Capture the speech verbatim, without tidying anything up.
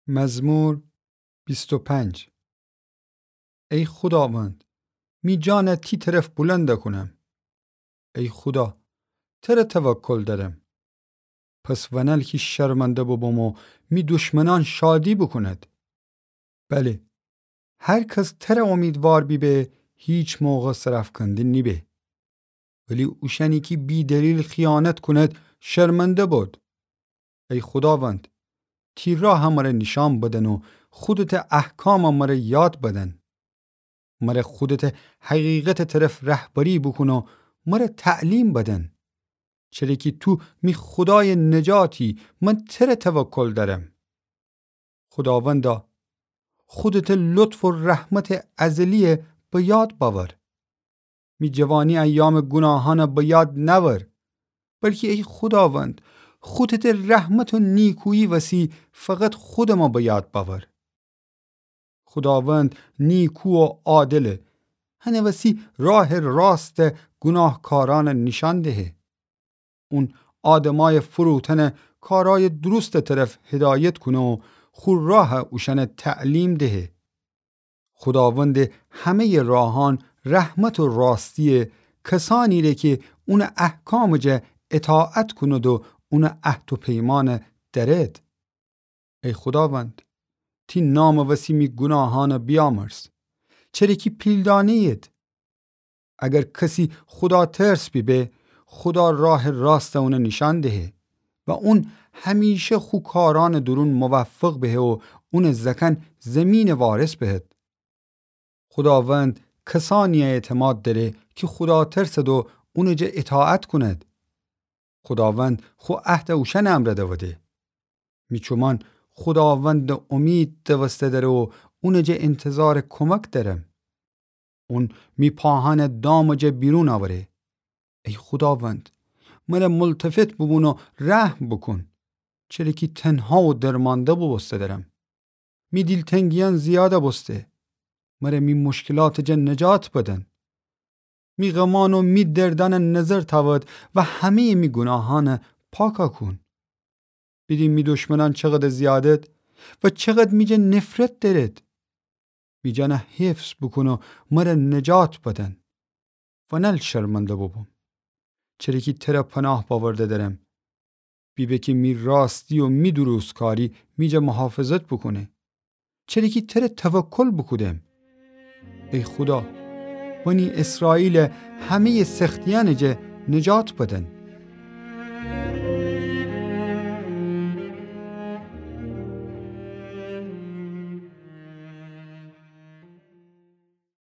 مزمور بیست و پنج. ای خوداوند، می جانَ تی طرف بلند کونم. ای خودا، تره توکل دأرم. پس ونل کی شرمنده ببم و می دشمنأن شادی بوکوند. بله، هر کس تره امیدوار بیبه، هیچ موقع سرافکنده نیبه. ولی اوشأنی کی بی‌دلیل خیانت کونید، شرمنده بید. ای خوداوند، تی راهَ مره نیشأن بدن و خودتٚ احکامَ مره یاد بدن. مره خودتٚ حقیقتٚ طرف رهبری بوکون و مره تعلیم بدن. چره کی تو می خودایٚ نجاتی، من تره توکل دأرم. خوداوندا، خودتٚ لطف و رحمتٚ ازلیَ به یاد بأور. می جوانی ایامٚ گوناهأنَ به یاد نأور، بلکی ای خوداوند، خودتٚ رحمت و نیکویی وسی فقط خودمَ به یاد بأور. خوداوند نیکو و عادله، هنٚ وسی راهٚ راستَ گوناهکارأنَ نیشأن دهه. اون آدمأیٚ فروتنَ کارأیٚ درستٚ طرف هدایت کونه و خو راهَ اوشأنَ تعلیم دهه. خوداوندٚ همه‌یٚ راهأن رحمت و راستیه، کسأنیره کی اونٚ احکامٚ جا اطاعت کونید و اونٚ عهد و پیمأنَ دأرید. ای خوداوند، تی نامٚ وسی می گوناهأنَ بیامرز، چره کی پیلدانه‌یید. اگر کسی خوداترس بیبه، خودا راهٚ راستَ اونَ نیشأن دهه و اون همیشه خو کارأنٚ دورون موفق بهه و اونٚ زأکأن زیمینَ وارث بهد. خوداوند کسأنیَ اعتماد دأره کی خوداترسد و اونٚ جا اطاعت کونید. خوداوند خو عهدَ اوشأنٚ امرأ دوده. می چومأن خوداوندَ امید دوسته دأره و اونٚ جا انتظارٚ کمک دأرم. اون می پاهأنَ دامٚ جا بیرون اوره. ای خوداوند، مره ملتفت بوبون و رحم بوکون، چره کی تنها و درمأنده بوبوسته دأرم. می دیلتنگیأن زیادَ بوسته. مره می مشکلاتٚ جا نجات بدن. می غمأن و می دردأنَ نظر تأود و همه‌یٚ می گوناهأنَ پاکَ کون. بیدین می دشمنأن چقدر زیادد و چقدر می جا نفرت دأرد. می جانَ حفظ بوکون و مره نجات بدن. ونل شرمنده بوبوم. چره کی تره پناه بأورده دأرم. بیبه کی می راستی و می درستکاری می جا محافظت بوکونه. چره کی تره توکل بوکودم. ای خودا، بنی اسرائیلَ همه‌یٚ سختیأنٚ جا نجات بدن.